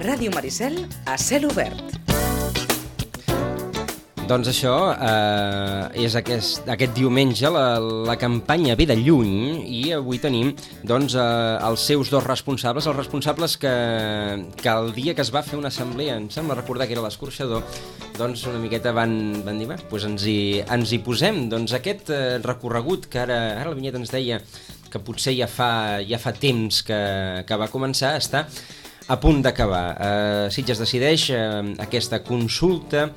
Ràdio Maricel a cel obert. Doncs això és aquest diumenge la campanya Ve de Lluny i avui tenim doncs, els seus dos responsables, els responsables que el dia que es va fer una assemblea, em sembla recordar que era l'escorxador, doncs una miqueta van dir, doncs ens hi posem. Doncs aquest recorregut que ara la Vinyet ens deia que potser ja fa temps que va començar, està a punt d'acabar. Sitges decideix aquesta consulta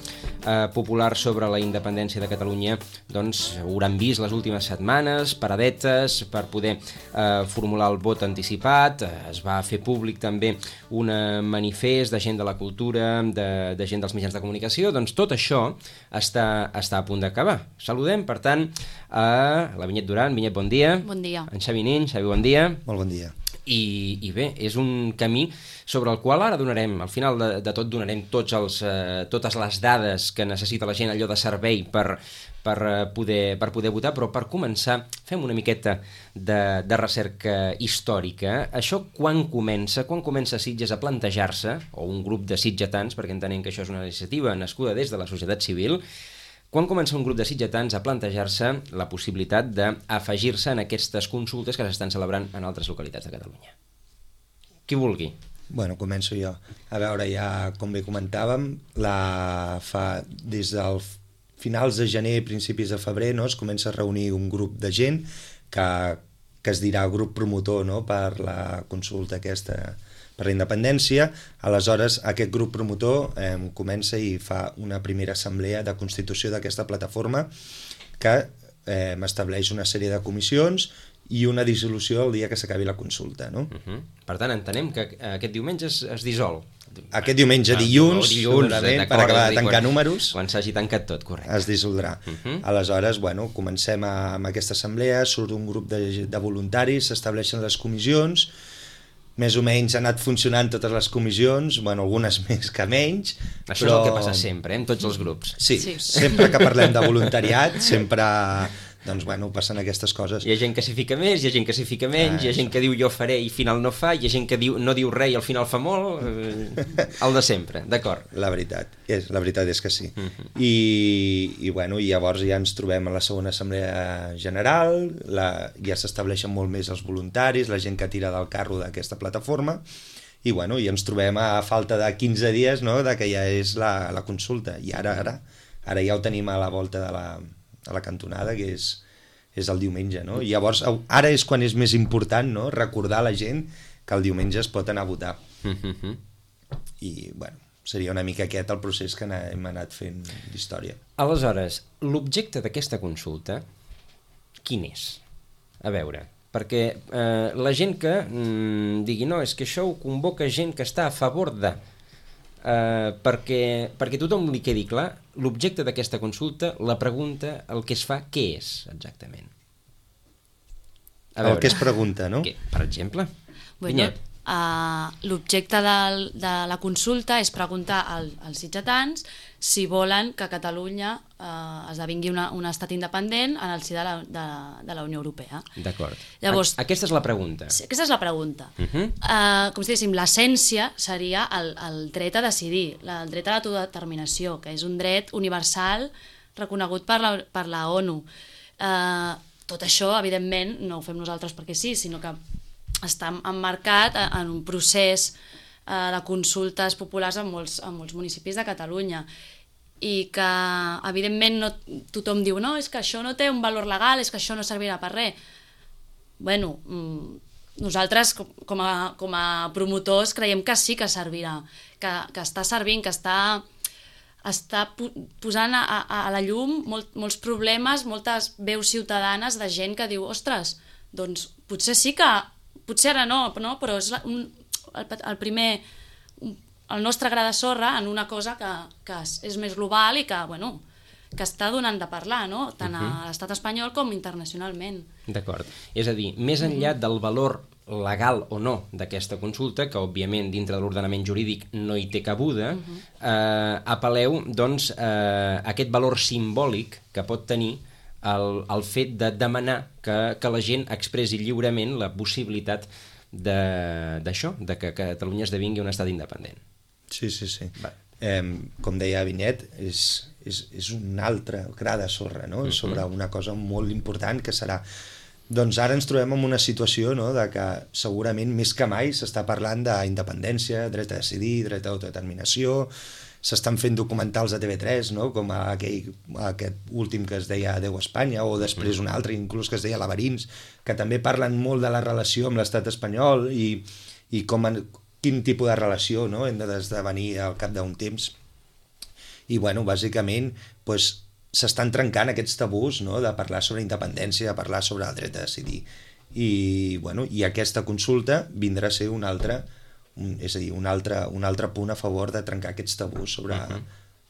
popular sobre la independència de Catalunya, doncs hauran vist les últimes setmanes, paradetes per poder formular el vot anticipat. Es va fer públic també un manifest de gent de la cultura, de gent dels mitjans de comunicació. Doncs tot això està a punt d'acabar. Saludem, per tant, a la Vinyet Duran. Vinyet, bon dia. Bon dia. En Xavi Nin. Xavi, bon dia. Molt bon dia. I bé, és un camí sobre el qual ara donarem, al final de tot donarem totes les dades que necessita la gent, allò de servei per poder votar, però per començar fem una miqueta de recerca històrica. Això quan comença Sitges a plantejar-se, o un grup de sitgetans, perquè entenem que això és una iniciativa nascuda des de la societat civil, quan comença un grup de sitgetans a plantejar-se la possibilitat d'afegir-se en aquestes consultes que s'estan celebrant en altres localitats de Catalunya? Qui vulgui. Bueno, començo jo. A veure, ja com bé comentàvem, des dels finals de gener, principis de febrer, no, es comença a reunir un grup de gent que es dirà grup promotor, no, per la consulta aquesta per la independència. Aleshores, aquest grup promotor comença i fa una primera assemblea de constitució d'aquesta plataforma que estableix una sèrie de comissions i una dissolució el dia que s'acabi la consulta, no? Per tant, entenem que aquest diumenge es dissol. Aquest diumenge, dilluns per acabar de tancar números, quan s'hagi tancat tot, correcte. Es dissoldrà. Aleshores, bueno, comencem amb aquesta assemblea, surt un grup de voluntaris, s'estableixen les comissions, més o menys han anat funcionant totes les comissions, bueno, algunes més que menys. Això és el que passa sempre, en tots els grups. Sí, sempre que parlem de voluntariat, sempre, doncs, bueno, passen aquestes coses. Hi ha gent que s'hi fica més, hi ha gent que s'hi fica menys, hi ha gent que diu jo faré i al final no fa, hi ha gent que no diu res i al final fa molt, el de sempre, d'acord. La veritat és que sí. I bueno, llavors ja ens trobem a la segona assemblea general, ja s'estableixen molt més els voluntaris, la gent que tira del carro d'aquesta plataforma, i bueno, i ens trobem a falta de 15 dies, no?, de que ja és la consulta, i ara ja ho tenim a la volta de la cantonada, que és el diumenge, no? I llavors, ara és quan és més important, no?, recordar a la gent que el diumenge es pot anar a votar. I, bueno, seria una mica aquest el procés que hem anat fent d'història. Aleshores, l'objecte d'aquesta consulta, quin és? A veure, perquè la gent que digui no, és que això ho convoca gent que està a favor de... perquè tothom li quedi clar, l'objecte d'aquesta consulta, la pregunta, el que es fa, què és exactament? El que es pregunta, no? Per exemple? Bueno, l'objecte de la consulta és preguntar als sitgetans si volen que Catalunya esdevingui un estat independent en el si de la Unió Europea. D'acord. Llavors, aquesta és la pregunta. Sí, aquesta és la pregunta. Com si diguéssim, l'essència seria el dret a decidir, el dret a l'autodeterminació, que és un dret universal reconegut per la ONU. Tot això, evidentment, no ho fem nosaltres perquè sí, sinó que està emmarcat en un procés de consultes populars en molts municipis de Catalunya, i que evidentment tothom diu no, és que això no té un valor legal, és que això no servirà per res. Bueno, nosaltres com a promotors creiem que sí que servirà, que està servint, que està posant a la llum molts problemes, moltes veus ciutadanes de gent que diu ostres, doncs potser sí que potser ara no, però és el nostre gra de sorra en una cosa que és més global i que està donant de parlar, no? Tant a l'estat espanyol com internacionalment. D'acord. És a dir, més enllà del valor legal o no d'aquesta consulta, que òbviament dintre de l'ordenament jurídic no hi té cabuda, apel·leu doncs a aquest valor simbòlic que pot tenir el fet de demanar que la gent expressi lliurement la possibilitat d'això, de que Catalunya esdevingui un estat independent. Sí. Com deia Vinyet, és un altre gra de sorra, no? Sobre una cosa molt important que serà... Doncs ara ens trobem en una situació, no?, de que segurament més que mai s'està parlant d'independència, dret a decidir, dret a autodeterminació, s'estan fent documentals a TV3, no?, com aquest últim que es deia Adeu Espanya, o després un altre inclús que es deia Laberints, que també parlen molt de la relació amb l'estat espanyol i quin tipus de relació, no?, hem d'esdevenir al cap d'un temps. I, bueno, bàsicament, doncs, s'estan trencant aquests tabús, no?, de parlar sobre independència, de parlar sobre el dret a decidir. I, bueno, i aquesta consulta vindrà a ser un altre punt a favor de trencar aquests tabús sobre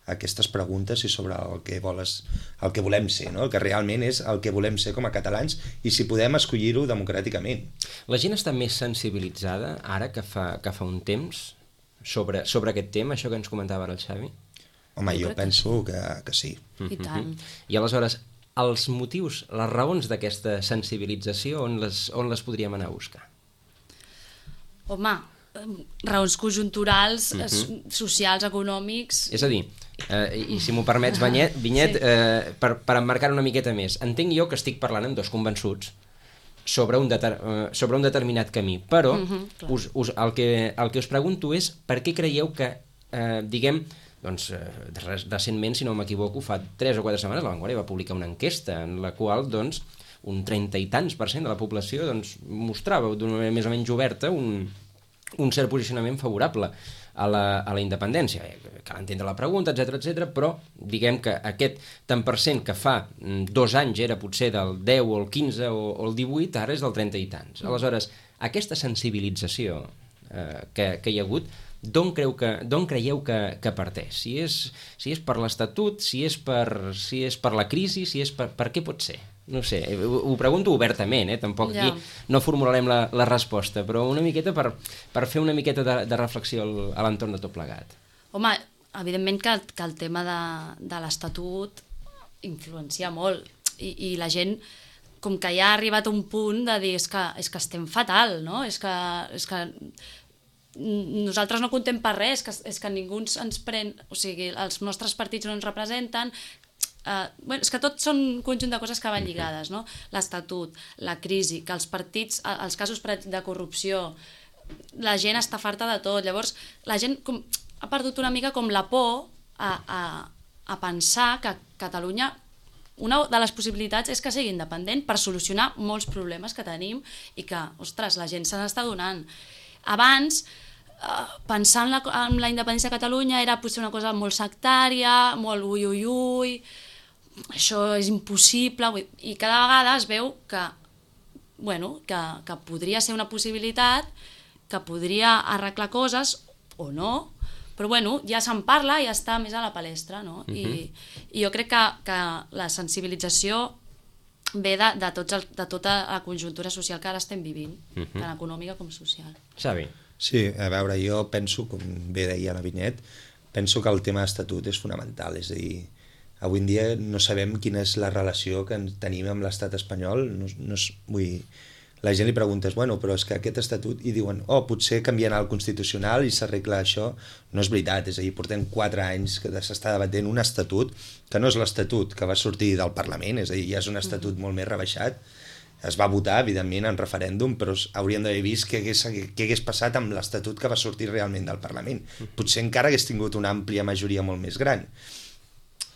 aquestes preguntes i sobre el que volem ser, no?, el que realment és el que volem ser com a catalans i si podem escollir-ho democràticament. La gent està més sensibilitzada ara que fa un temps sobre aquest tema, això que ens comentava ara el Xavi? Home, jo penso que sí. I tant. I aleshores, els motius, les raons d'aquesta sensibilització, on les podríem anar a buscar? Home, raons conjunturals, socials, econòmics... És a dir, i si m'ho permets, Vinyet, per emmarcar una miqueta més, entenc jo que estic parlant amb dos convençuts sobre un determinat camí, però el que us pregunto és per què creieu que, diguem, doncs, recentment, si no m'equivoco, fa 3 o 4 setmanes La Vanguardia va publicar una enquesta en la qual, doncs, un 30 i tants % de la població mostrava d'una manera més o menys oberta un cert posicionament favorable a la independència. Cal entendre la pregunta, etc, però diguem que aquest tant per cent que fa 2 anys era potser del 10 o el 15 o el 18, ara és del 30 i tants. Aleshores, aquesta sensibilització que hi ha hagut, d'on creieu que parteix? Si és per l'Estatut, si és per la crisi, per què pot ser? No sé, ho pregunto obertament, tampoc aquí no formularem la resposta, però una miqueta per fer una miqueta de reflexió a l'entorn de tot plegat. Home, evidentment que el tema de l'Estatut influencia molt i la gent com que ja ha arribat a un punt de dir és que estem fatal, no? És que nosaltres no contem per res, és que ningú ens pren, o sigui, els nostres partits no ens representen, és que tot són un conjunt de coses que van lligades, no? L'Estatut, la crisi, que els partits, els casos de corrupció, la gent està farta de tot, llavors la gent ha perdut una mica com la por a pensar que Catalunya, una de les possibilitats és que sigui independent per solucionar molts problemes que tenim i que, ostres, la gent se n'està donant. Abans, pensar en la independència de Catalunya era potser una cosa molt sectària, molt ui, això és impossible, i cada vegada es veu que podria ser una possibilitat, que podria arreglar coses o no, però ja se'n parla i ja està més a la palestra, no? I jo crec que la sensibilització ve de tota la conjuntura social que ara estem vivint, tant econòmica com social. Xavi. Sí, a veure, jo penso, com bé deia la Vinyet, penso que el tema d'estatut és fonamental, és a dir, avui en dia no sabem quina és la relació que tenim amb l'estat espanyol, la gent li preguntes, però és que aquest estatut, i diuen, potser canviant el constitucional i s'arregla això, no és veritat, és a dir, portem 4 anys que s'està debatent un estatut, que no és l'estatut que va sortir del Parlament, és a dir, ja és un estatut molt més rebaixat, es va votar, evidentment, en referèndum, però hauríem d'haver vist què hagués passat amb l'Estatut que va sortir realment del Parlament. Potser encara hagués tingut una àmplia majoria molt més gran.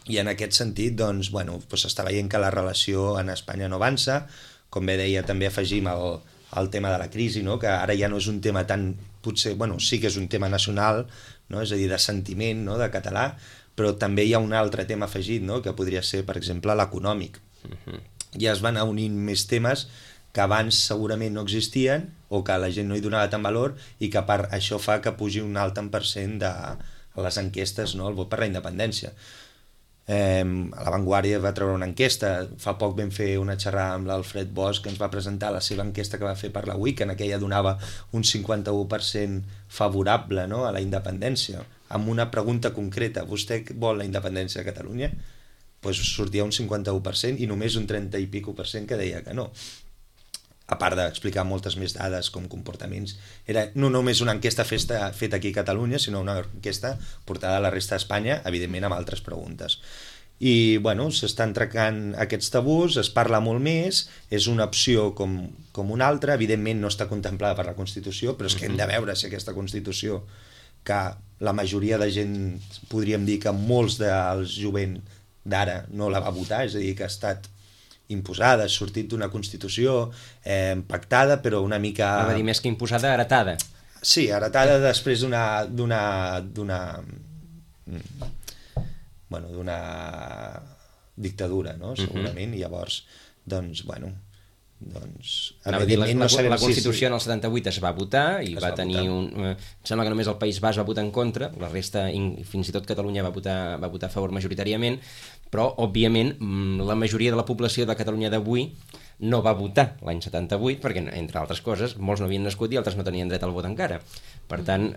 I en aquest sentit, doncs, s'està veient que la relació en Espanya no avança. Com bé deia, també afegim el tema de la crisi, no? Que ara ja no és un tema tan... Potser, sí que és un tema nacional, no? És a dir, de sentiment, no? De català, però també hi ha un altre tema afegit, no? Que podria ser, per exemple, l'econòmic. Ja es van unint més temes que abans segurament no existien o que la gent no hi donava tant valor i que això fa que pugi un alt tant % de les enquestes, no? El vot per la independència. La Vanguardia va treure una enquesta, fa poc vam fer una xerrada amb l'Alfred Bosch que ens va presentar la seva enquesta que va fer per la UIC, en aquella donava un 51% favorable, no? A la independència, amb una pregunta concreta: vostè vol la independència de Catalunya? Doncs sortia un 51% i només un 30 i pico % que deia que no. a part d'explicar moltes més dades com comportaments. Era no només una enquesta feta aquí a Catalunya, sinó una enquesta portada a la resta d'Espanya, evidentment amb altres preguntes. I, bueno, s'estan trencant aquests tabús, es parla molt més, és una opció com una altra, evidentment no està contemplada per la Constitució, però és que hem de veure si aquesta Constitució, que la majoria de gent, podríem dir que molts dels jovent d'ara no la va votar, és a dir, que ha estat imposada, ha sortit d'una Constitució pactada, però una mica... Va dir més que imposada, heretada. Sí, heretada després d'una dictadura, no? Segurament, i llavors, doncs, bueno... la Constitució en el 78 es va votar i va tenir em sembla que només el País Basc va votar en contra, la resta, fins i tot Catalunya va votar a favor majoritàriament, però òbviament la majoria de la població de Catalunya d'avui no va votar l'any 78 perquè, entre altres coses, molts no havien nascut i altres no tenien dret al vot encara. Per tant,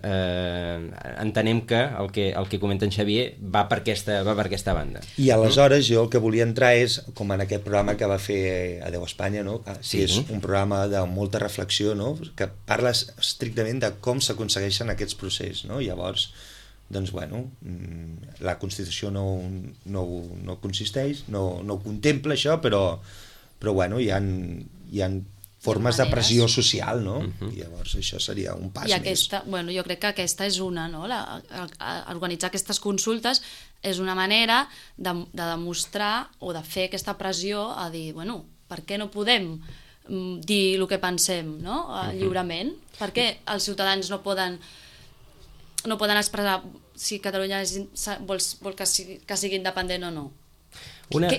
entenem que el que comenta en Xavier va per aquesta banda. I aleshores jo el que volia entrar és, com en aquest programa que va fer Adeu Espanya, no? Sí. És un programa de molta reflexió, no? Que parla estrictament de com s'aconsegueixen aquests processos, no? Llavors, doncs, bueno, la Constitució no consisteix, no contempla això, però bueno, hi ha formes de pressió social, no? I llavors això seria un pas més. Bueno, jo crec que aquesta és una, no? Organitzar aquestes consultes és una manera de demostrar o de fer aquesta pressió a dir, bueno, per què no podem dir el que pensem, no? Lliurement? Per què els ciutadans no poden expressar si Catalunya vol que sigui independent o no?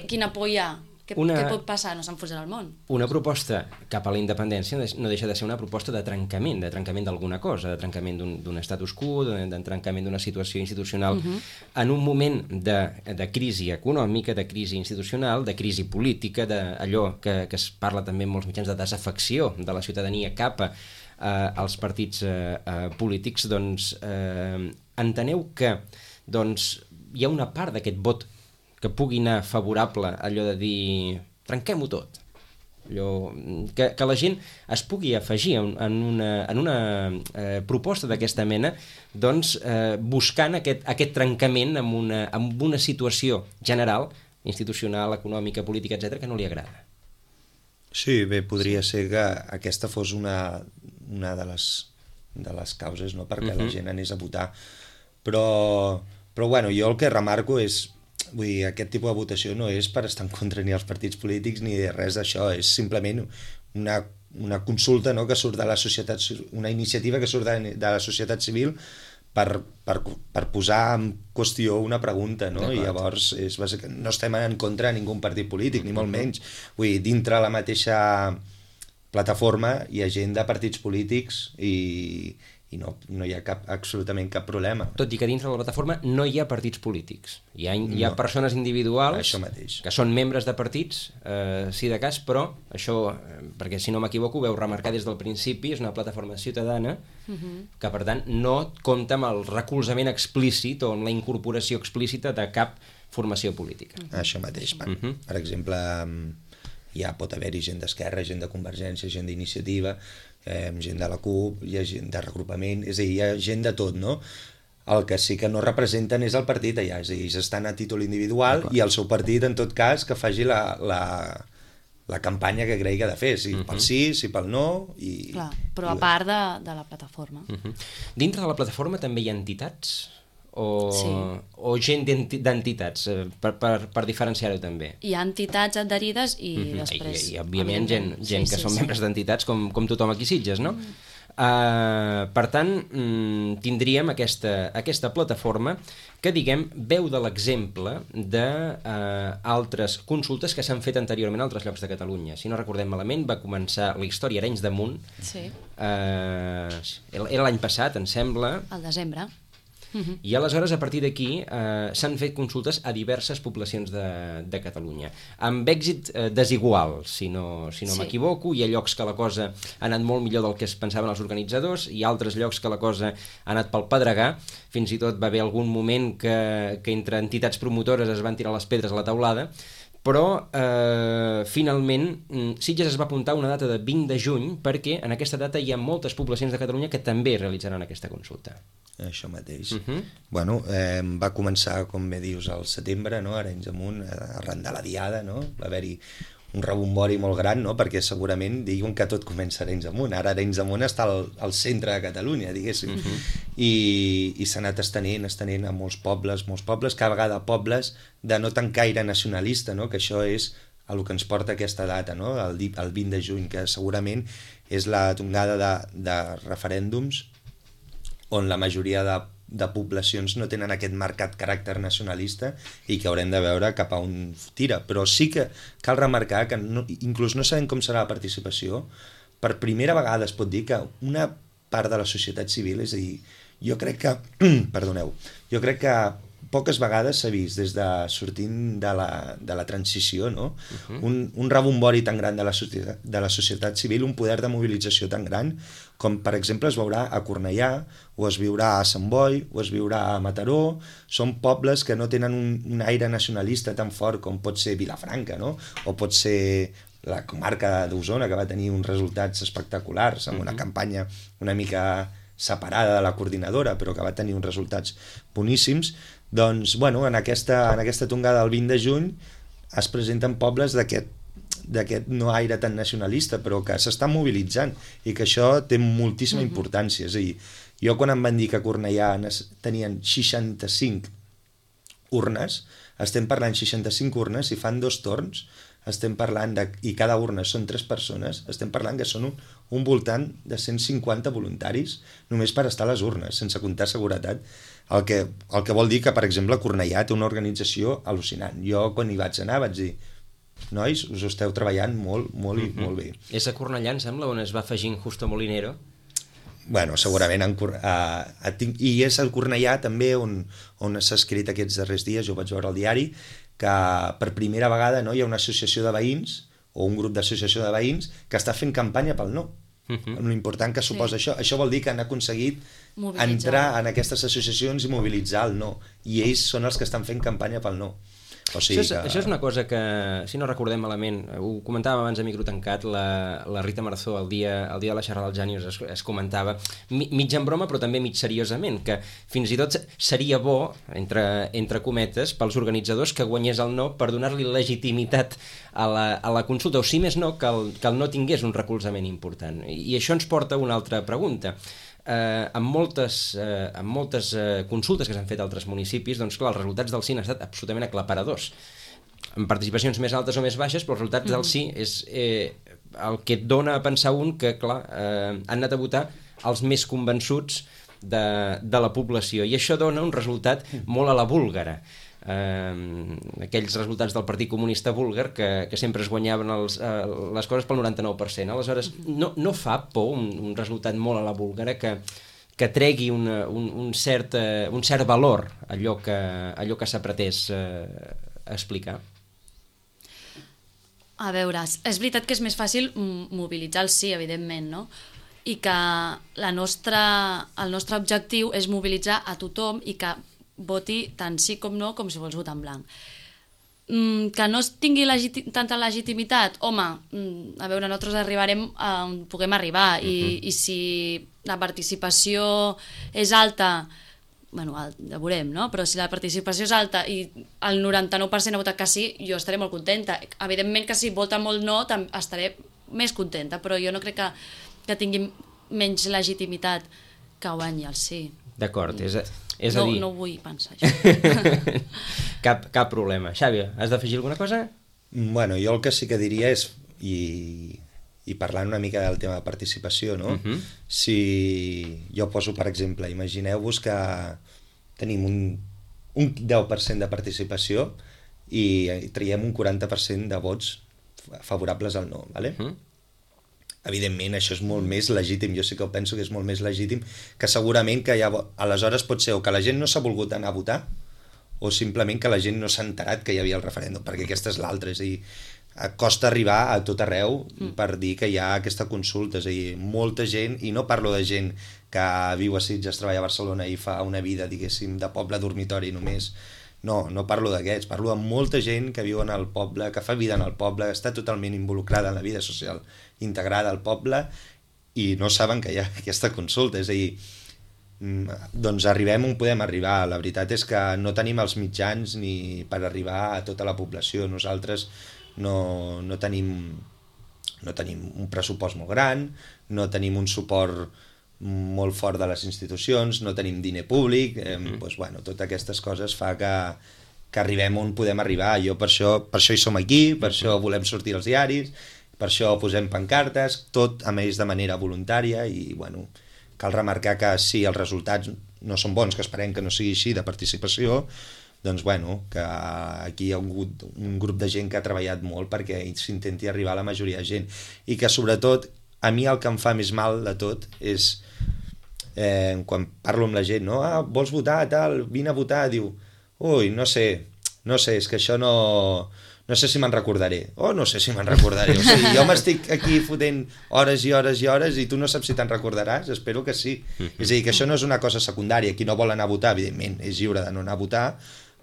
Quina por hi ha? Què pot passar? No s'enfonsarà el món. Una proposta cap a la independència no deixa de ser una proposta de trencament d'alguna cosa, de trencament d'un status quo, de trencament d'una situació institucional, en un moment de crisi econòmica, de crisi institucional, de crisi política, d'allò que es parla també en molts mitjans de desafecció de la ciutadania cap als partits polítics. Doncs enteneu que hi ha una part d'aquest vot que pugui anar favorable a allò de dir trenquem-ho tot, que la gent es pugui afegir en una proposta d'aquesta mena, doncs buscant aquest trencament amb una situació general, institucional, econòmica, política, etc., que no li agrada. Sí, bé, podria ser que aquesta fos una de les causes, no?, perquè la gent anés a votar, però bueno, jo el que remarco és, vull dir, aquest tipus de votació no és per estar en contra ni dels partits polítics ni res d'això, és simplement una consulta, no?, que surt de la societat, una iniciativa que surt de la societat civil per posar en qüestió una pregunta, no? I llavors no estem en contra de ningú partit polític, ni molt menys. Vull dir, dintre la mateixa plataforma hi ha gent de partits polítics i no hi ha absolutament cap problema. Tot i que dintre de la plataforma no hi ha partits polítics. Hi ha persones individuals que són membres de partits, sí de cas, però això, perquè si no m'equivoco, ho veu remarcar des del principi, és una plataforma ciutadana que, per tant, no compta amb el recolzament explícit o amb la incorporació explícita de cap formació política. Això mateix. Per exemple, ja pot haver-hi gent d'Esquerra, gent de Convergència, gent d'Iniciativa, gent de la CUP, hi ha gent de regrupament, és a dir, hi ha gent de tot, no? El que sí que no representen és el partit allà, és a dir, estan a títol individual i el seu partit, en tot cas, que faci la campanya que cregui que ha de fer, si pel sí, si pel no... Clar, però a part de la plataforma. Dintre de la plataforma també hi ha entitats? O gent d'entitats, per diferenciar-ho també? Hi ha entitats adherides i després... I òbviament gent que són membres d'entitats com tothom aquí a Sitges, no? Per tant, tindríem aquesta plataforma que, diguem, veu de l'exemple d'altres consultes que s'han fet anteriorment a altres llocs de Catalunya. Si no recordem malament, va començar la història Arenys de Munt. Era l'any passat, em sembla. Al desembre. I aleshores, a partir d'aquí, s'han fet consultes a diverses poblacions de Catalunya, amb èxit desigual, si no m'equivoco. Hi ha llocs que la cosa ha anat molt millor del que es pensaven els organitzadors, i altres llocs que la cosa ha anat pel pedregar. Fins i tot va haver algun moment que entre entitats promotores es van tirar les pedres a la teulada, però finalment Sitges es va apuntar una data de 20 de juny perquè en aquesta data hi ha moltes poblacions de Catalunya que també realitzaran aquesta consulta. Això mateix. Bueno, va començar, com bé dius, al setembre, no? Arenys Amunt, arran de la diada, no? Va haver-hi un rebombori molt gran, no? Perquè segurament diuen que tot comença a Arenys Amunt. Ara Arenys Amunt està al centre de Catalunya, diguéssim. I s'ha anat estenent a molts pobles, cada vegada pobles de no tant gaire nacionalista, no? Que això és el que ens porta aquesta data, no? El 20 de juny, que segurament és la tongada de referèndums on la majoria de poblacions no tenen aquest marcat caràcter nacionalista i que haurem de veure cap a on tira. Però sí que cal remarcar que inclús no sabem com serà la participació. Per primera vegada es pot dir que una part de la societat civil, és a dir, jo crec que poques vegades s'ha vist des de sortint de la transició, no? Un rebombori tan gran de la societat civil, un poder de mobilització tan gran com per exemple es veurà a Cornellà o es viurà a Sant Boi o es viurà a Mataró. Són pobles que no tenen un aire nacionalista tan fort com pot ser Vilafranca, no? O pot ser la comarca d'Osona, que va tenir uns resultats espectaculars amb una campanya una mica separada de la coordinadora, però que va tenir uns resultats boníssims. Doncs, bueno, en aquesta tongada del 20 de juny es presenten pobles d'aquest no aire tan nacionalista, però que s'estan mobilitzant i que això té moltíssima importància. És a dir, jo quan em van dir que a Cornellà tenien 65 urnes, estem parlant 65 urnes, si fan 2 torns, estem parlant i cada urna són 3 persones, estem parlant que són un voltant de 150 voluntaris només per estar a les urnes, sense comptar seguretat, el que vol dir que, per exemple, Cornellà té una organització al·lucinant. Jo, quan hi vaig anar, vaig dir: nois, us esteu treballant molt i molt bé. És a Cornellà, em sembla, on es va afegint Justo Molinero? Bueno, segurament i és al Cornellà també on s'ha escrit aquests darrers dies, jo vaig veure al diari, que per primera vegada hi ha una associació de veïns o un grup d'associació de veïns que està fent campanya pel no. L'important que suposa això. Això vol dir que han aconseguit entrar en aquestes associacions i mobilitzar el no. I ells són els que estan fent campanya pel no. O sigui això és una cosa que, si no recordem malament, ho comentàvem abans a micro tancat, la Rita Marzó, el dia de la xerrada dels Gènios es comentava, mig en broma però també mig seriosament, que fins i tot seria bo, entre cometes, pels organitzadors que guanyés el no per donar-li legitimitat a la consulta, o si més no, que el no tingués un recolzament important. I això ens porta a una altra pregunta. Amb moltes consultes que s'han fet a altres municipis, doncs clar, els resultats del sí han estat absolutament aclaparadors, amb participacions més altes o més baixes, però els resultats del sí és el que et dona a pensar que, clar, han anat a votar els més convençuts de la població, i això dona un resultat molt a la búlgara. Aquells resultats del Partit Comunista búlgar que sempre es guanyaven les coses pel 99%. Aleshores, no fa por un resultat molt a la búlgara que tregui un cert valor allò que s'ha pretès explicar? A veure, és veritat que és més fàcil mobilitzar el sí, evidentment, no? I que el nostre objectiu és mobilitzar a tothom i que voti tant sí com no, com si vols votar en blanc. Que no tingui tanta legitimitat, home, a veure, nosaltres arribarem on puguem arribar, i si la participació és alta, bueno, ja veurem, no? Però si la participació és alta i el 99% ha votat que sí, jo estaré molt contenta. Evidentment que si vota molt no, estaré més contenta, però jo no crec que tingui menys legitimitat que guanyi el sí. D'acord, és a dir... No vull pensar això. Cap problema. Xavi, has d'afegir alguna cosa? Bueno, jo el que sí que diria és, i parlant una mica del tema de participació, no? Si jo poso, per exemple, imagineu-vos que tenim un 10% de participació i traiem un 40% de vots favorables al no, ¿vale? Evidentment, això és molt més legítim, jo sí que penso que és molt més legítim, que segurament que aleshores pot ser o que la gent no s'ha volgut anar a votar o simplement que la gent no s'ha enterat que hi havia el referèndum, perquè aquesta és l'altra, és a dir, costa arribar a tot arreu per dir que hi ha aquesta consulta, és a dir, molta gent, i no parlo de gent que viu a Sitges, treballa a Barcelona i fa una vida, diguéssim, de poble dormitori només, No parlo d'aquests, parlo de molta gent que viu en el poble, que fa vida en el poble, està totalment involucrada en la vida social integrada al poble i no saben que hi ha aquesta consulta, és a dir, doncs arribem on podem arribar. La veritat és que no tenim els mitjans ni per arribar a tota la població. Nosaltres no tenim un pressupost molt gran, no tenim un suport molt fort de les institucions, no tenim diner públic, doncs, bueno, totes aquestes coses fa que arribem on podem arribar. Jo per això hi som aquí, per això volem sortir als diaris, per això posem pancartes, tot a més de manera voluntària i, bueno, cal remarcar que si els resultats no són bons, que esperem que no sigui així de participació, doncs bueno, que aquí hi ha hagut un grup de gent que ha treballat molt perquè s'intenti arribar a la majoria de gent i que sobretot a mi el que em fa més mal de tot és quan parlo amb la gent, no? Vols votar, tal, vine a votar, diu, ui, no sé, és que això no sé si me'n recordaré. No sé si me'n recordaré. O sigui, jo m'estic aquí fotent hores i hores i hores i tu no saps si te'n recordaràs? Espero que sí. És a dir, que això no és una cosa secundària. Qui no vol anar a votar, evidentment, és lliure de no anar a votar,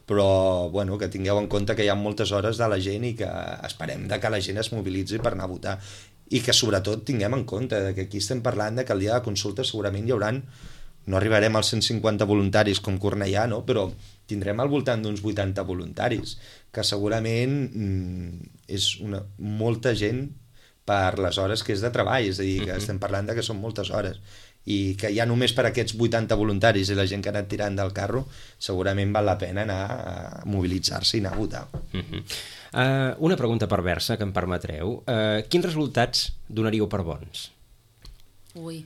però bueno, que tingueu en compte que hi ha moltes hores de la gent i que esperem que la gent es mobilitzi per anar a votar. I que sobretot tinguem en compte que aquí estem parlant que el dia de consulta segurament hi hauran, no arribarem als 150 voluntaris com Cornellà, no? Però tindrem al voltant d'uns 80 voluntaris, que segurament és molta gent per les hores que és de treball, és a dir, que estem parlant que són moltes hores, i que ja només per aquests 80 voluntaris i la gent que ha anat tirant del carro, segurament val la pena anar a mobilitzar-se i anar a votar. Una pregunta perversa, que em permetreu. Quins resultats donaríeu per bons? Ui.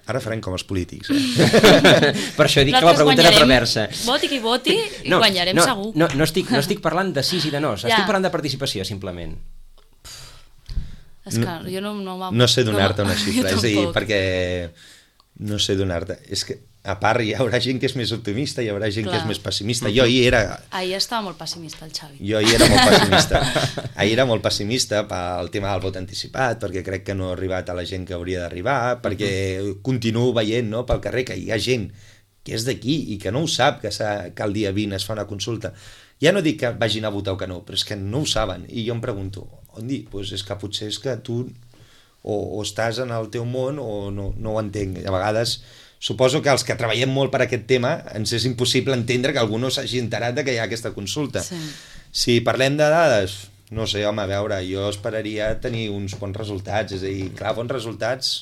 Ara farem com els polítics. Per això dic que la pregunta era perversa. Voti qui voti i guanyarem segur. No estic parlant de sí i de no, estic parlant de participació, simplement. És que jo no sé donar-te una xifra, és a dir, perquè no sé donar-te. És que, a part, hi haurà gent que és més optimista, hi haurà gent que és més pessimista. Jo ahir era... Ahir estava molt pessimista, el Xavi. Jo ahir era molt pessimista. Ahir era molt pessimista pel tema del vot anticipat, perquè crec que no ha arribat a la gent que hauria d'arribar, perquè continuo veient, no, pel carrer que hi ha gent que és d'aquí i que no ho sap, que el dia 20 es fa una consulta. Ja no dic que vagin a votar o que no, però és que no ho saben. I jo em pregunto, on dir? Doncs és que potser és que tu o estàs en el teu món o no ho entenc. A vegades suposo que els que treballem molt per aquest tema ens és impossible entendre que algú no s'hagi enterat que hi ha aquesta consulta. Sí. Si parlem de dades, no sé, home, a veure, jo esperaria tenir uns bons resultats, és a dir, clar, bons resultats,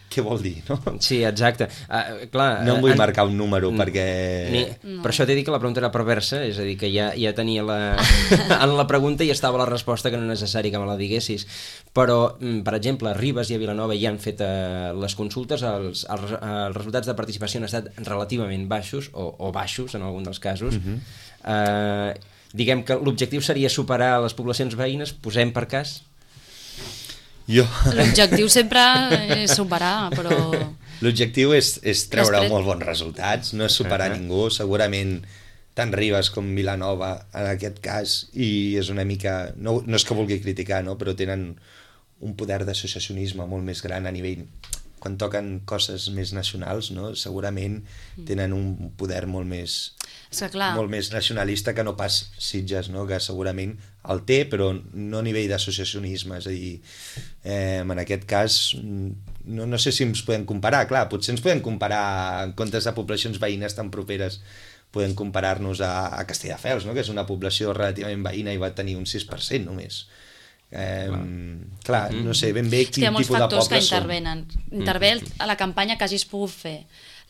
què vol dir, no? Sí, exacte. Clar, no em vull marcar un número perquè... Per això t'he dit que la pregunta era perversa, és a dir, que ja tenia en la pregunta i estava la resposta, que no és necessari que me la diguessis. Però, per exemple, a Ribes i a Vilanova ja han fet les consultes, els resultats de participació han estat relativament baixos, o baixos en algun dels casos. Diguem que l'objectiu seria superar les poblacions veïnes, posem per cas? L'objectiu sempre és superar, però... L'objectiu és treure molt bons resultats, no és superar ningú, segurament tant Ribes com Vilanova en aquest cas, i és una mica... No és que vulgui criticar, no? Però tenen un poder d'associacionisme molt més gran a nivell... Quan toquen coses més nacionals, no? Segurament tenen un poder molt més nacionalista que no pas Sitges, no? Que segurament el té, però no a nivell d'associacionisme. És a dir, en aquest cas, no sé si ens podem comparar. Clar, potser ens podem comparar, en comptes de poblacions veïnes tan properes, podem comparar-nos a Castelldefels, no? Que és una població relativament veïna i va tenir un 6% només. Clar, no sé ben bé quin tipus de pobles són. Hi ha molts factors que intervenen. Intervé a la campanya que hagis pogut fer,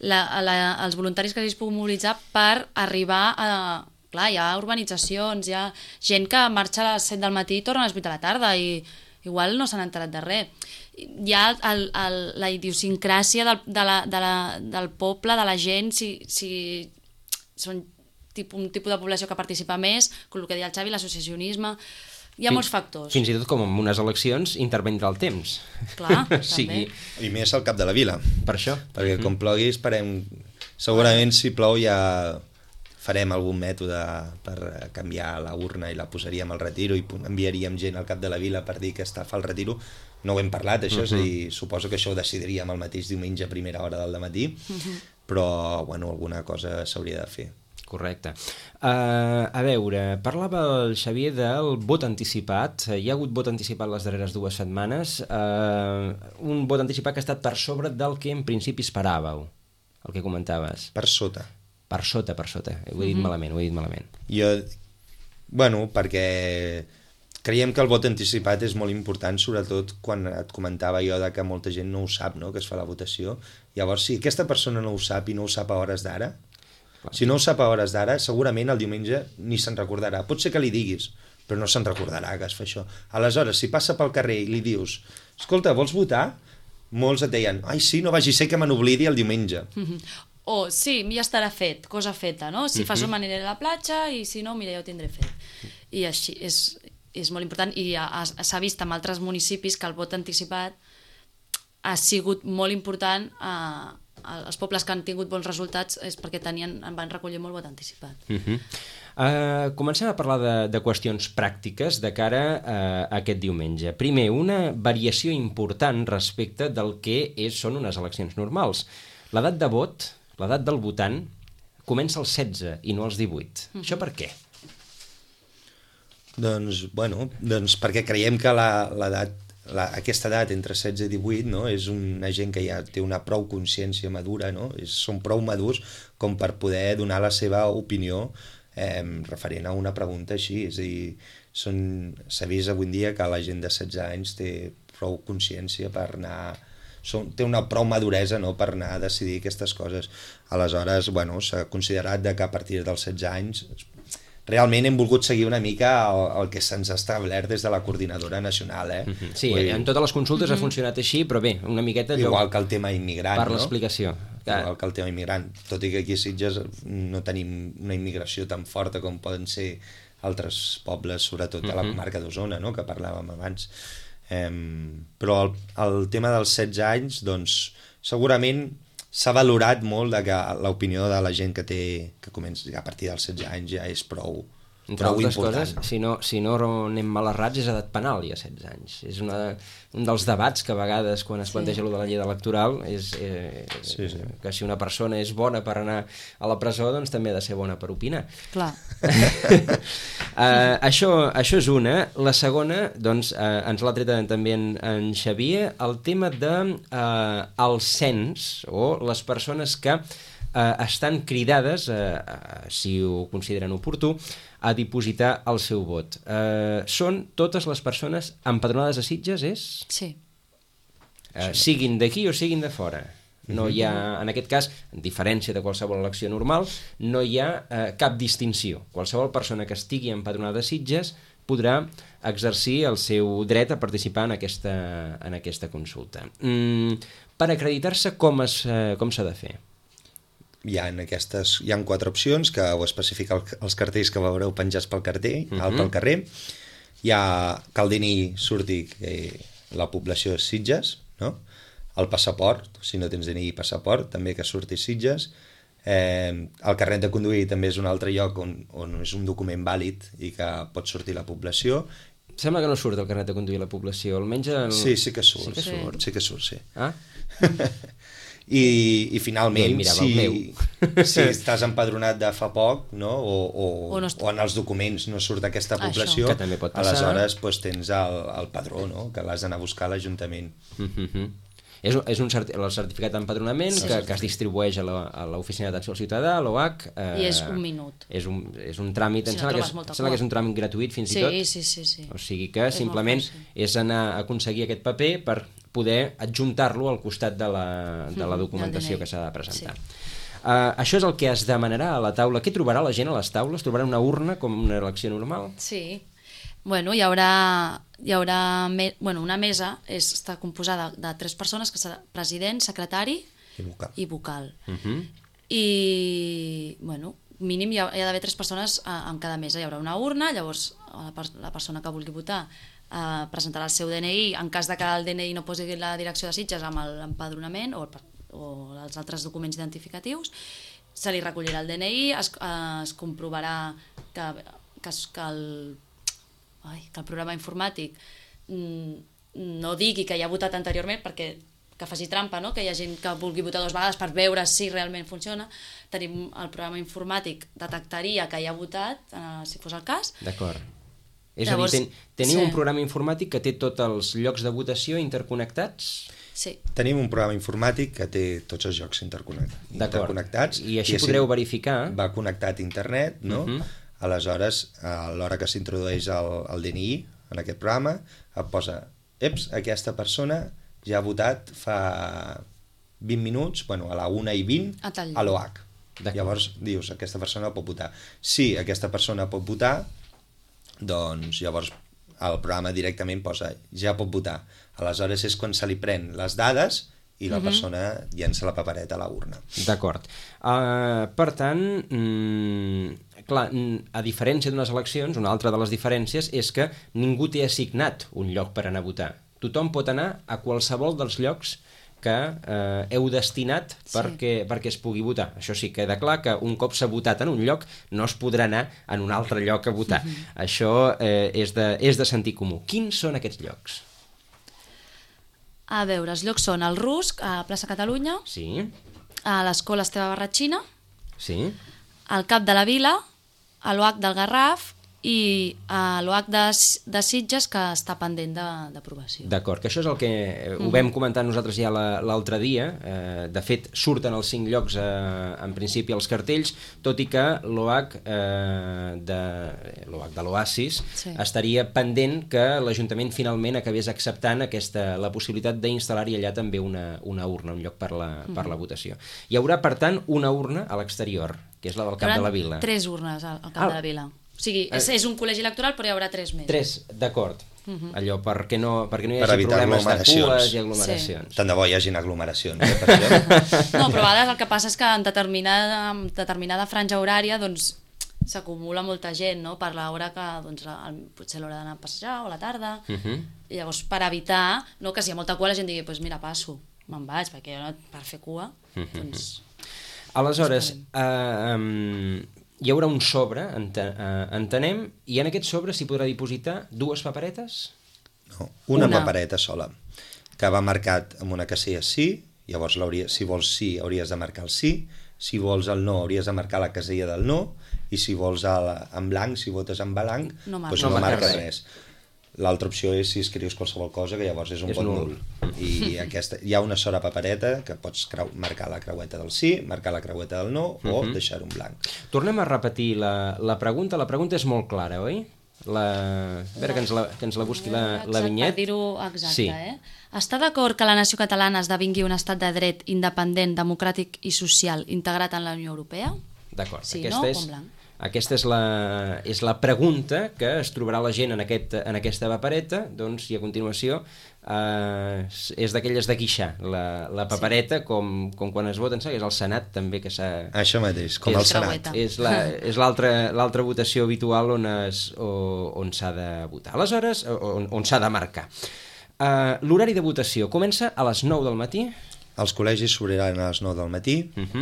els voluntaris que hagis pogut mobilitzar per arribar a... Clar, hi ha urbanitzacions, hi ha gent que marxa a les 7 del matí i torna a les 8 de la tarda i igual no s'han enterat de res. Hi ha la idiosincràsia del poble, de la gent, si són un tipus de població que participa més, com el que deia el Xavi, l'associacionisme... Hi ha molts factors. Fins i tot com en unes eleccions intervindrà el temps. Clar, també. I més al cap de la vila. Per això. Perquè com plogui esperem... Segurament si plou ja farem algun mètode per canviar la urna i la posaríem al retiro i enviaríem gent al cap de la vila per dir que fa el retiro. No ho hem parlat, això, és a dir, suposo que això ho decidiríem el mateix diumenge a primera hora del dematí, però, bueno, alguna cosa s'hauria de fer. Correcte. A veure, parlava el Xavier del vot anticipat. Hi ha hagut vot anticipat les darreres 2 setmanes. Un vot anticipat que ha estat per sobre del que en principi esperàveu, el que comentaves. Per sota. Per sota. Ho he dit malament. Bueno, perquè creiem que el vot anticipat és molt important, sobretot quan et comentava jo que molta gent no ho sap, no?, que es fa la votació. Llavors, si aquesta persona no ho sap i no ho sap a hores d'ara, si no ho sap a hores d'ara, segurament el diumenge ni se'n recordarà. Pot ser que li diguis, però no se'n recordarà que es fa això. Aleshores, si passa pel carrer i li dius escolta, vols votar? Molts et deien, ai sí, no vagi ser que me n'oblidi el diumenge. O sí, ja estarà fet, cosa feta, no? Si fas m'aniré a la platja i si no, mira, ja ho tindré fet. I així és molt important i s'ha vist en altres municipis que el vot anticipat ha sigut molt important els pobles que han tingut bons resultats és perquè van recollir molt vot anticipat. Comencem a parlar de qüestions pràctiques de cara a aquest diumenge. Primer, una variació important respecte del que són unes eleccions normals. L'edat de vot, l'edat del votant, comença als 16 i no als 18. Això per què? Doncs perquè creiem que aquesta edat entre 16 i 18, no, és una gent que ja té una prou consciència madura, no? Són prou madurs com per poder donar la seva opinió referent a una pregunta així. És a dir, s'ha vist avui en dia que la gent de 16 anys té prou consciència per anar... té una prou maduresa, no?, per anar a decidir aquestes coses. Aleshores, s'ha considerat que a partir dels 16 anys realment hem volgut seguir una mica el que se'ns ha establert des de la coordinadora nacional. Sí, en totes les consultes ha funcionat així, però bé, una miqueta... Igual que el tema immigrant, per l'explicació. Igual que el tema immigrant, tot i que aquí a Sitges no tenim una immigració tan forta com poden ser altres pobles, sobretot a la comarca d'Osona, no?, que parlàvem abans. Però el tema dels 16 anys, doncs, segurament s'ha valorat molt que l'opinió de la gent que comença a partir dels 16 anys ja és prou important. Coses, si no anem mal errats, és edat penal ja 16 anys. És un dels debats que a vegades quan es planteja allò de la llei electoral és que si una persona és bona per anar a la presó, doncs també ha de ser bona per opinar. Clar. Això és una. La segona, doncs, ens l'ha tret també en Xavier, el tema del cens o les persones que estan cridades, si ho consideren oportú, a dipositar el seu vot. Són totes les persones empadronades a Sitges, és? Sí. Siguin d'aquí o siguin de fora. No hi ha, en aquest cas, en diferència de qualsevol elecció normal, no hi ha cap distinció. Qualsevol persona que estigui empadronada a Sitges podrà exercir el seu dret a participar en aquesta consulta. Per acreditar-se, com s'ha de fer? Hi ha 4 opcions que ho especifica els cartells que veureu penjats pel carrer. Hi ha que el DNI surti la població de Sitges, no? El passaport, si no tens DNI i passaport, també que surti Sitges. El carnet de conduir també és un altre lloc on és un document vàlid i que pot sortir la població. Sembla que no surt el carnet de conduir la població, almenys... Sí que surt, sí. Ah? I finalment, si estàs empadronat de fa poc, no? o en els documents no surt aquesta població, aleshores tens el padró, no? Que l'has d'anar a buscar a l'Ajuntament. És el certificat d'empadronament que es distribueix a l'Oficina d'Atenció al Ciutadà, a l'OAC. I és un minut. És un tràmit, em sembla que és un tràmit gratuït fins i tot. Sí. O sigui que simplement és anar a aconseguir aquest paper per poder adjuntar-lo al costat de la documentació que s'ha de presentar. Això és el que es demanarà a la taula. Què trobarà la gent a les taules? Trobarà una urna com una elecció normal? Sí. Hi haurà una mesa, està composada de 3 persones, que serà president, secretari i vocal. I, mínim hi ha d'haver 3 persones en cada mesa. Hi haurà una urna, llavors la persona que vulgui votar presentarà el seu DNI, en cas de que el DNI no posi la direcció de Sitges amb l'empadronament o els altres documents identificatius, se li recollirà el DNI, es comprovarà que el programa informàtic no digui que hi ha votat anteriorment, perquè que faci trampa, no? Que hi ha gent que vulgui votar 2 vegades per veure si realment funciona. Tenim el programa informàtic, detectaria que hi ha votat, si fos el cas. D'acord. És a dir, teniu un programa informàtic que té tots els llocs de votació interconnectats? Sí. Tenim un programa informàtic que té tots els llocs interconnectats. I així podreu verificar... Va connectat a internet, no? Aleshores, a l'hora que s'introdueix el DNI en aquest programa, et posa, aquesta persona ja ha votat fa 20 minuts, bueno, a la 1:20, a l'OH. Llavors dius, aquesta persona pot votar. Si aquesta persona pot votar, doncs llavors el programa directament posa, ja pot votar. Aleshores és quan se li pren les dades i la persona llença la papereta a la urna. D'acord. Per tant, clar, a diferència d'unes eleccions, una altra de les diferències és que ningú té assignat un lloc per anar a votar. Tothom pot anar a qualsevol dels llocs que heu destinat perquè es pugui votar. Això sí, queda clar que un cop s'ha votat en un lloc no es podrà anar en un altre lloc a votar. Això és de sentit comú. Quins són aquests llocs? A veure, els llocs són el Rusc, a Plaça Catalunya, a l'Escola Esteve Barratxina, al Cap de la Vila, a l'OH del Garraf i a l'OH de Sitges, que està pendent d'aprovació. D'acord, que això és el que ho vam comentar nosaltres ja l'altre dia. De fet, surten els 5 llocs en principi als cartells, tot i que l'OH de l'Oasis estaria pendent que l'Ajuntament finalment acabés acceptant la possibilitat d'instal·lar-hi allà també una urna, un lloc per la votació. Hi haurà, per tant, una urna a l'exterior, que és la del Cap de la Vila. 3 urnes al Cap de la Vila. O sigui, és un col·legi electoral, però hi haurà 3 més. 3, d'acord. Allò, perquè no hi hagi problemes de cues i aglomeracions. Tant de bo hi hagin aglomeracions. No, però a vegades el que passa és que en determinada franja horària s'acumula molta gent, no? Per l'hora que potser l'hora d'anar a passejar o a la tarda. I llavors, per evitar que si hi ha molta cua la gent digui, doncs mira, passo, me'n vaig, perquè per fer cua, Aleshores, hi haurà un sobre, entenem, i en aquest sobre s'hi podrà dipositar 2 paperetes? No, una papereta sola, que va marcat amb una casella sí, llavors si vols sí hauries de marcar el sí, si vols el no hauries de marcar la casella del no, i si vols en blanc, si votes en blanc, doncs no marques res. L'altra opció és si escrius qualsevol cosa, que llavors és un vot nul. I hi ha una sola papereta que pots marcar la creueta del sí, marcar la creueta del no o deixar-ho en blanc. Tornem a repetir la pregunta. La pregunta és molt clara, oi? A veure que ens la busqui la vinyet. Per dir-ho exacte, Està d'acord que la nació catalana esdevingui un estat de dret independent, democràtic i social integrat en la Unió Europea? D'acord. Sí, no? O en blanc? Aquesta és la pregunta que es trobarà la gent en aquesta papereta, i a continuació és d'aquelles de guixar, la papereta, com quan es vota, és el Senat també que s'ha... Això mateix, com el Senat. És l'altra votació habitual on s'ha de votar. Aleshores, on s'ha de marcar. L'horari de votació comença a les 9 del matí? Els col·legis s'obriran a les 9 del matí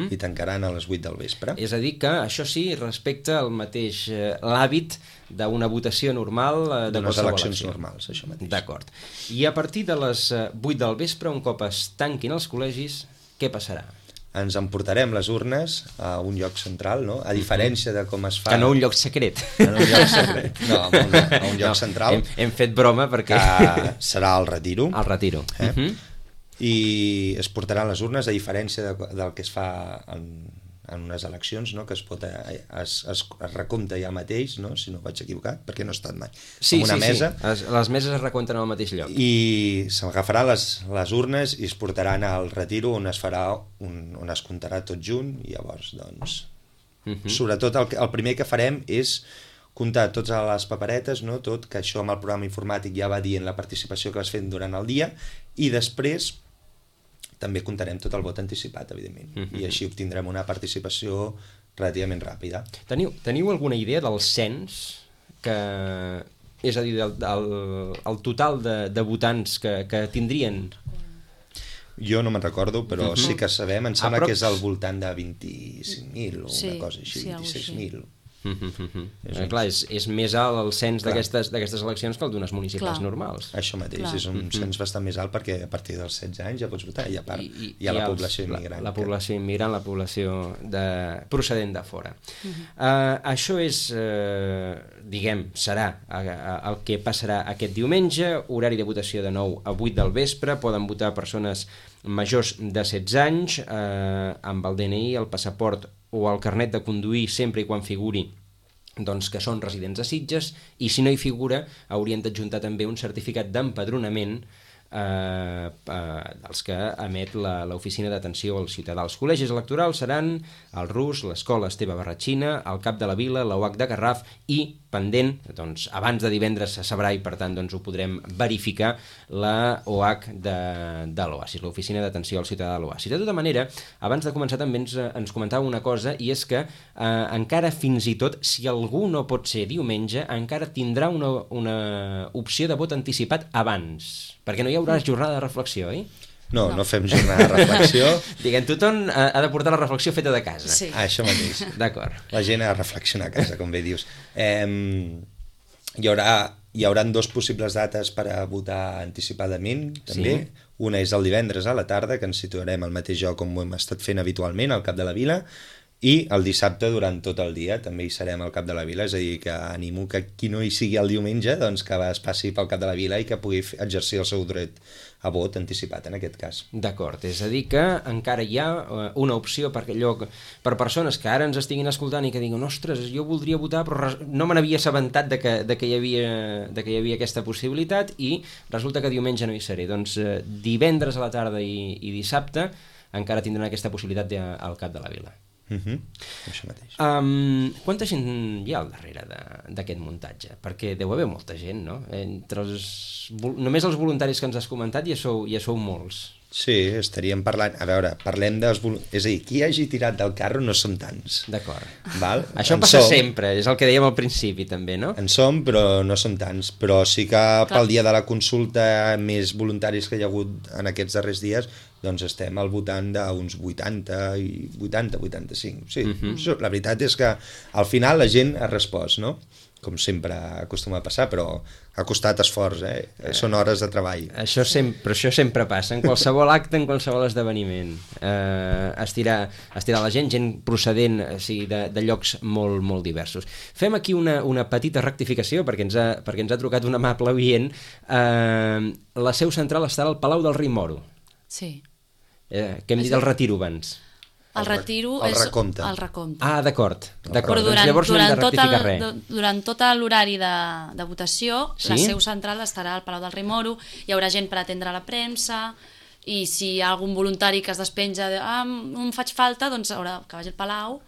i tancaran a les 8 del vespre. És a dir que això sí respecta el mateix l'hàbit d'una votació normal de d'unes qualsevol eleccions elecció. normals, això mateix. D'acord. I a partir de les 8 del vespre, un cop es tanquin els col·legis, què passarà? Ens emportarem les urnes a un lloc central, no? A diferència de com es fa... Que no un lloc secret. En un lloc secret. No, a un lloc central. Hem fet broma perquè... Que serà el retiro. El retiro. I es portaran les urnes, a diferència del que es fa en unes eleccions, no? Que es recompta ja mateix, no? Si no vaig equivocat, perquè no he estat mai. Sí, una mesa. Les meses es recompten al mateix lloc. I s'agafaran les urnes i es portaran al retiro on es comptarà tot junt i llavors, doncs... Sobretot el primer que farem és comptar totes les paperetes, no? Tot, que això amb el programa informàtic ja va dient la participació que vas fent durant el dia, i després també comptarem tot el vot anticipat, evidentment, i així obtindrem una participació relativament ràpida. Teniu alguna idea del cens, és a dir, el total de votants que tindrien? Jo no me'n recordo, però sí que sabem, em sembla que és al voltant de 25.000 o una cosa així, 26.000. Clar, és més alt el cens d'aquestes eleccions que el d'unes municipals normals. Això mateix, és un cens bastant més alt perquè a partir dels 16 anys ja pots votar i a part hi ha la població immigrant. La població immigrant, la població procedent de fora. Això és, diguem, serà el que passarà aquest diumenge, horari de votació de 9 a 8 del vespre, poden votar persones majors de 16 anys amb el DNI, el passaport o el carnet de conduir sempre i quan figuri doncs, que són residents de Sitges, i si no hi figura haurien d'adjuntar també un certificat d'empadronament dels que emet l'Oficina d'Atenció al Ciutadà. Els col·legis electorals seran el RUS, l'Escola Esteve Barratxina, el Cap de la Vila, la UAC de Garraf i, pendent, doncs, abans de divendres se sabrà i per tant doncs, ho podrem verificar, la OAC de l'Oasis, l'Oficina d'Atenció al Ciutadà de l'Oasis. De tota manera, abans de començar també ens comentava una cosa, i és que encara fins i tot, si algú no pot ser diumenge, encara tindrà una opció de vot anticipat abans, perquè no hi haurà jornada de reflexió, oi? No fem jornada de reflexió. Diguem, tothom ha de portar la reflexió feta de casa. Sí. Això mateix. D'acord. La gent ha de reflexionar a casa, com bé dius. Hi haurà dos possibles dates per a votar anticipadament, també. Sí. Una és el divendres a la tarda, que ens situarem al mateix lloc com ho hem estat fent habitualment, al Cap de la Vila, i el dissabte durant tot el dia també hi serem al Cap de la Vila, és a dir, que animo que qui no hi sigui el diumenge doncs que es passi pel Cap de la Vila i que pugui exercir el seu dret a vot anticipat en aquest cas. D'acord, és a dir que encara hi ha una opció per persones que ara ens estiguin escoltant i que diguin, ostres, jo voldria votar però no me n'havia assabentat de que hi havia aquesta possibilitat i resulta que diumenge no hi seré. Doncs divendres a la tarda i dissabte encara tindran aquesta possibilitat al Cap de la Vila. Això mateix. Quanta gent hi ha al darrere d'aquest muntatge? Perquè deu haver molta gent, no? Només els voluntaris que ens has comentat ja sou molts. Sí, estaríem parlant... A veure, parlem dels... És a dir, qui hagi tirat del carro no són tants. D'acord. Val? Això passa sempre, és el que dèiem al principi també, no? En som, però no són tants. Però sí que pel dia de la consulta més voluntaris que hi ha hagut en aquests darrers dies, doncs estem al voltant d'uns 80-85. Sí, la veritat és que al final la gent ha respost, no? Com sempre acostuma a passar, però ha costat esforç, són hores de treball. Això sempre passa, en qualsevol acte, en qualsevol esdeveniment. Estirar la gent procedent de llocs molt, molt diversos. Fem aquí una petita rectificació, perquè ens ha trucat un amable oient. La seu central estarà al Palau del Rei Moro. Sí. Què hem dit del retiro abans? El retiro és recompte. Ah, d'acord. Però durant tot l'horari de votació, la seu central estarà al Palau del Rei Moro, hi haurà gent per atendre la premsa, i si hi ha algun voluntari que es despenja no em faig falta, doncs haurà que vagi al Palau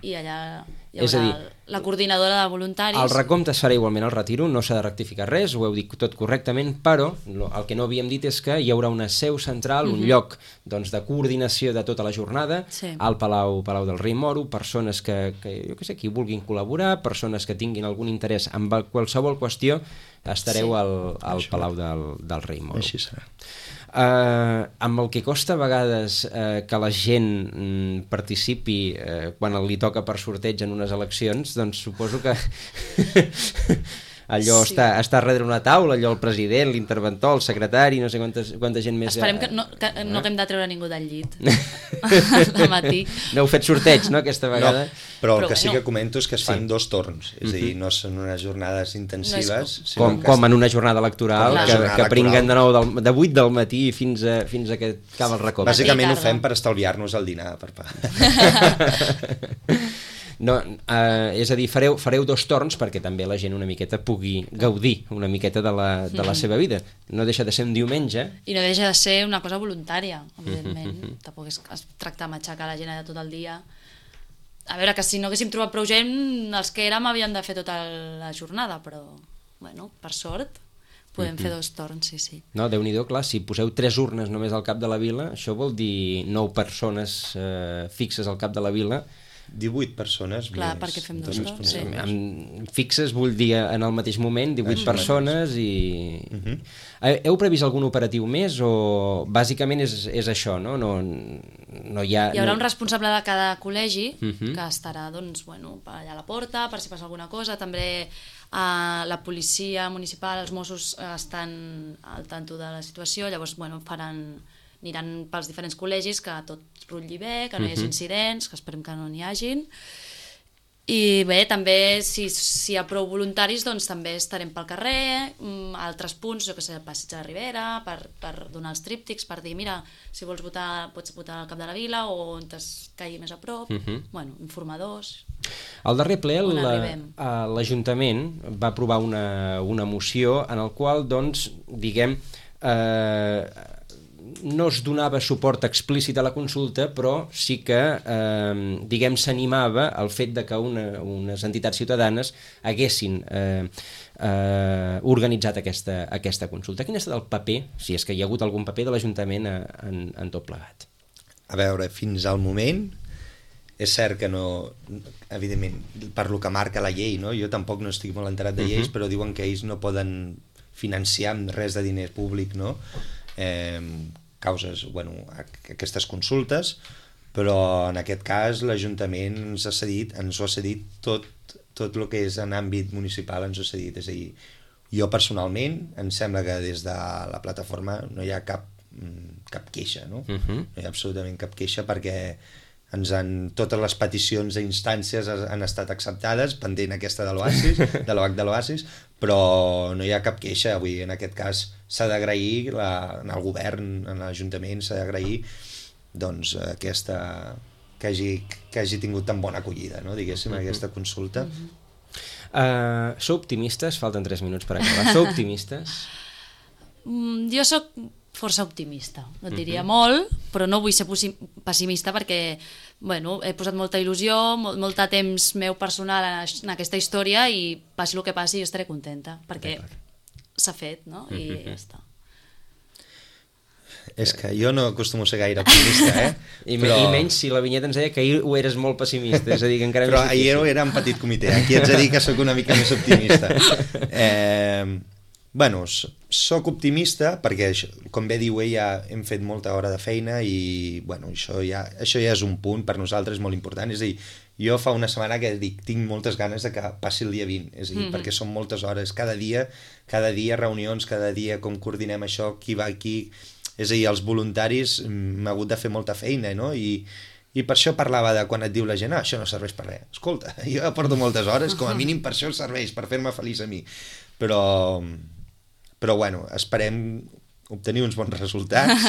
i allà hi haurà la coordinadora de voluntaris. El recompte es farà igualment al retiro, no s'ha de rectificar res, ho heu dit tot correctament, però el que no havíem dit és que hi haurà una seu central, un lloc de coordinació de tota la jornada al Palau del Rei Moro, persones que jo què sé, qui vulguin col·laborar, persones que tinguin algun interès en qualsevol qüestió, estareu al Palau del Rei Moro. Així serà. Amb el que costa a vegades que la gent participi quan li toca per sorteig en unes eleccions, doncs suposo que allò està darrere una taula, allò el president, l'interventor, el secretari, no sé quanta gent més... Esperem que no haguem de treure ningú del llit de matí. No heu fet sorteig, no, aquesta vegada? No, però el que sí que comento és que es fan 2 torns, és a dir, no són unes jornades intensives... Com en una jornada electoral, que pringuen de 8 del matí fins a que acaba el recompte. Bàsicament ho fem per estalviar-nos el dinar, per pagar. No, és a dir, fareu 2 torns perquè també la gent una miqueta pugui gaudir una miqueta de la seva vida. No deixa de ser un diumenge. I no deixa de ser una cosa voluntària, evidentment. Tampoc es tracta de matxacar la gent de tot el dia. A veure, que si no haguéssim trobat prou gent, els que érem havien de fer tota la jornada, però, bueno, per sort, podem fer 2 torns, sí. No, Déu-n'hi-do, clar, si poseu 3 urnes només al Cap de la Vila, això vol dir 9 persones fixes al Cap de la Vila, 18 persones Clar, més perquè fem dos responsables. torns, sí. Amb fixes, vull dir, en el mateix moment, 18 persones i... Heu previst algun operatiu més o bàsicament és això, no? No hi ha... Hi haurà un responsable de cada col·legi que estarà doncs, bueno, allà a la porta per si passa alguna cosa. També la policia municipal, els Mossos estan al tanto de la situació, llavors bueno, aniran pels diferents col·legis que tot rutlli bé, que no hi hagi incidents, que esperem que no n'hi hagin. I bé, també si hi ha prou voluntaris doncs també estarem pel carrer, a altres punts, jo que sé, al Passeig de la Ribera, per donar els tríptics, per dir, mira, si vols votar, pots votar al cap de la vila o on es caigui més a prop, bueno, informadors. Al darrer ple l'Ajuntament va aprovar una moció en el qual, doncs, diguem, no es donava suport explícit a la consulta, però sí que, diguem, s'animava al fet de que unes entitats ciutadanes haguessin organitzat aquesta consulta. Quin ha estat el paper, si és que hi ha hagut algun paper de l'Ajuntament en tot plegat? A veure, fins al moment és cert que no, evidentment, per lo que marca la llei, no? Jo tampoc no estic molt enterat de lleis, però diuen que ells no poden financiar amb res de diner públic, no? Causes, bueno, aquestes consultes, però en aquest cas l'Ajuntament ens ho ha cedit tot el que és en àmbit municipal, ens ho ha cedit. És a dir, jo personalment em sembla que des de la plataforma no hi ha cap queixa, no? No hi ha absolutament cap queixa perquè totes les peticions i instàncies han estat acceptades, pendent aquesta de l'Oasis, de l'OH de l'Oasis, però no hi ha cap queixa. Avui, en aquest cas, s'ha d'agrair en el govern, en l'Ajuntament, s'ha d'agrair doncs, que hagi tingut tan bona acollida, no? Diguéssim, aquesta consulta. Sou optimistes? Falten 3 minuts per acabar. Sou optimistes? Jo sóc força optimista, no et diria molt, però no vull ser pessimista perquè bueno, he posat molta il·lusió, molt de temps meu personal en aquesta història i passi el que passi jo estaré contenta perquè s'ha fet, no? I ja està. És que jo no acostumo a ser gaire optimista, I menys si la Vinyeta ens deia que ahir ho eres molt pessimista, és a dir, que encara però ahir era en petit comitè, aquí ets a dir que sóc una mica més optimista. Bueno, sóc optimista perquè, com bé diu ella, hem fet molta hora de feina i bueno, això ja és un punt per nosaltres molt important. És a dir, jo fa una setmana que dic, tinc moltes ganes de que passi el dia 20, és a dir, perquè són moltes hores, cada dia reunions, cada dia com coordinem això, qui va aquí, és a dir, els voluntaris m'ha hagut de fer molta feina, no? I per això parlava de quan et diu la gent, això no serveix per res. Escolta, jo porto moltes hores, com a mínim per això serveix, per fer-me feliç a mi. Però bueno, esperem obtenir uns bons resultats,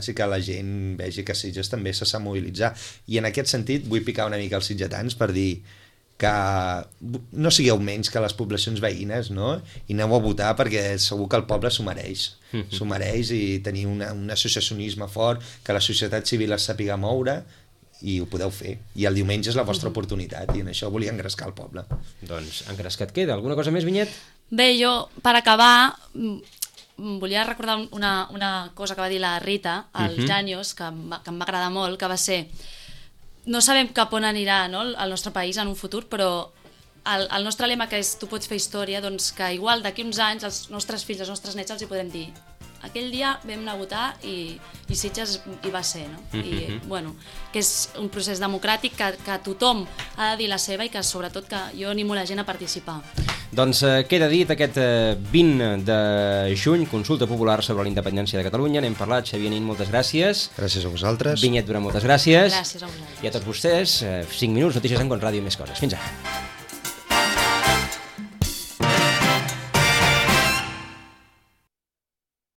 i que la gent vegi que Sitges també se sap mobilitzar. I en aquest sentit vull picar una mica els sitgetans per dir que no sigueu menys que les poblacions veïnes, no? I aneu a votar perquè segur que el poble s'ho mereix. S'ho mereix i tenir un associacionisme fort, que la societat civil es sàpiga moure i ho podeu fer. I el diumenge és la vostra oportunitat i en això volia engrescar el poble. Doncs engrescat queda. Alguna cosa més, Vinyet? Bé, jo, per acabar, volia recordar una cosa que va dir la Rita als Janios, que em va agradar molt, que va ser: no sabem cap on anirà, no, el nostre país en un futur, però el nostre lema, que és tu pots fer història, doncs que igual d'aquí uns anys els nostres fills, els nostres nets els hi podem dir aquell dia vam anar a votar i Sitges hi va ser, no? I, bueno, que és un procés democràtic que tothom ha de dir la seva i que sobretot que jo animo la gent a participar. Doncs queda dit aquest 20 de juny, consulta popular sobre la independència de Catalunya. N'hem parlat, Xavier Nin, moltes gràcies. Gràcies a vosaltres. Vinyet Durant, moltes gràcies. Gràcies a vosaltres. I a tots vostès, 5 minuts, notícies en Con Ràdio i més coses. Fins ara.